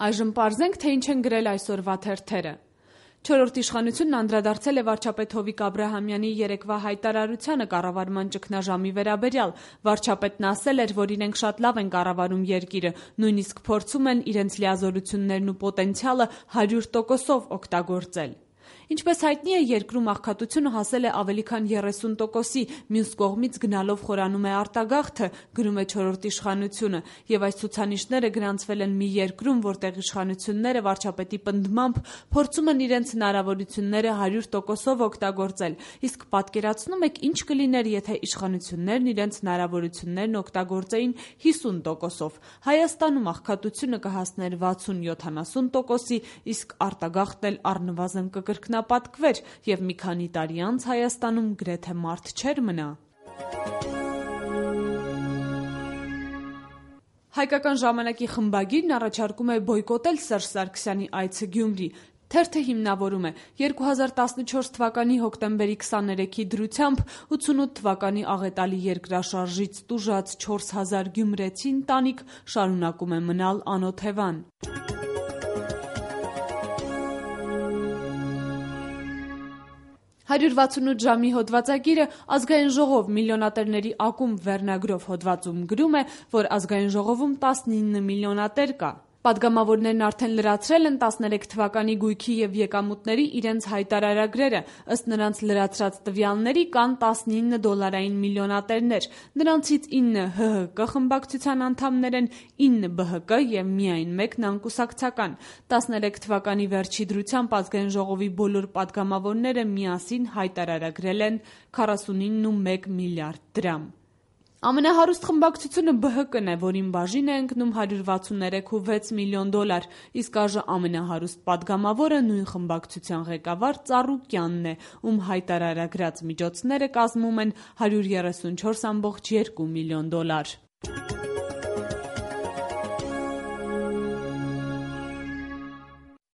Այժմ պարզենք, թե ինչ են գրել այսօրվա թերթերը։ Չորրորդ իշխանությունն անդրադարձել է վարչապետ Հովիկ Աբրահամյանի երեկվա հայտարարությանը կառավարման ճգնաժամի վերաբերյալ։ Վարչապետն ասել էր, որ իրենք շատ լավ են կառավարում երկիրը, նույնիսկ փորձում են իրենց լիազորություններն ու պոտենցիալը 100%-ով օգտագործել։ Ինչպես հայտնի է, երկրում աղքատությունը հասել է ավելի քան 30%-ի, մյուս կողմից գնալով խորանում է արտագաղթը, գրում է չորրորդ իշխանությունը, եւ այս ցուցանիշները գրանցվել են մի երկրում, որտեղ իշխանությունները վարչապետի պնդմամբ փորձում են իրենց հնարավորությունները 100%-ով օգտագործել, իսկ պատկերացնում եք ինչ կլիներ, եթե իշխանություններն իրենց հնարավորություններն օգտագործեին 50%-ով։ Հայաստանում աղքատությունը կհասներ 60-70%-ի, իսկ արտագաղթն էլ առնվազն կկրկնապատկվեր, եւ մի քանի տարի անց Հայաստանում գրեթե մարդ չէր մնա։ Հայկական ժամանակի խմբագիրն առաջարկում է բոյկոտել Սերժ Սարգսյանի այցը Գյումրի։ Թերթը հիմնավորում է 2014 թվականի հոկտեմբերի 23-ի դրությամբ 88 թվականի աղետալի երկրաշարժից տուժած 4000 գյումրեցի ընտանիք շարունակում է մնալ անօթևան։ 168 ժամի հոդվածագիրը Ազգային ժողով միլիոնատերների ակումբ վերնագրով հոդվածում գրում է, որ Ազգային ժողովում 19 միլիոնատեր կա։ Պատգամավորներն արդեն լրացրել են 13 թվականի գույքի եւ եկամուտների իրենց հայտարարագրերը, ըստ նրանց լրացրած տվյալների կան 19 դոլարային միլիոնատերներ, նրանցից 9 ՀՀԿ խմբակցության անդամներ են, 9 ԲՀԿ եւ միայն մեկն անկուսակցական։ 13 թվականի վերջի դրությամբ Ազգային ժողովի բոլոր պատգամավորները միասին հայտարարագրել են 49.1 միլիարդ դրամ։ Ամենահարուստ խմբակցությունը ԲՀԿ-ն է, որին բաժին է ընկնում 163.6 միլիոն դոլար, իսկ այժմ ամենահարուստ պատգամավորը նույն խմբակցության ղեկավար Ծառուկյանն է, ում հայտարարագրած միջոցները կազմում են 134.2 միլիոն դոլար։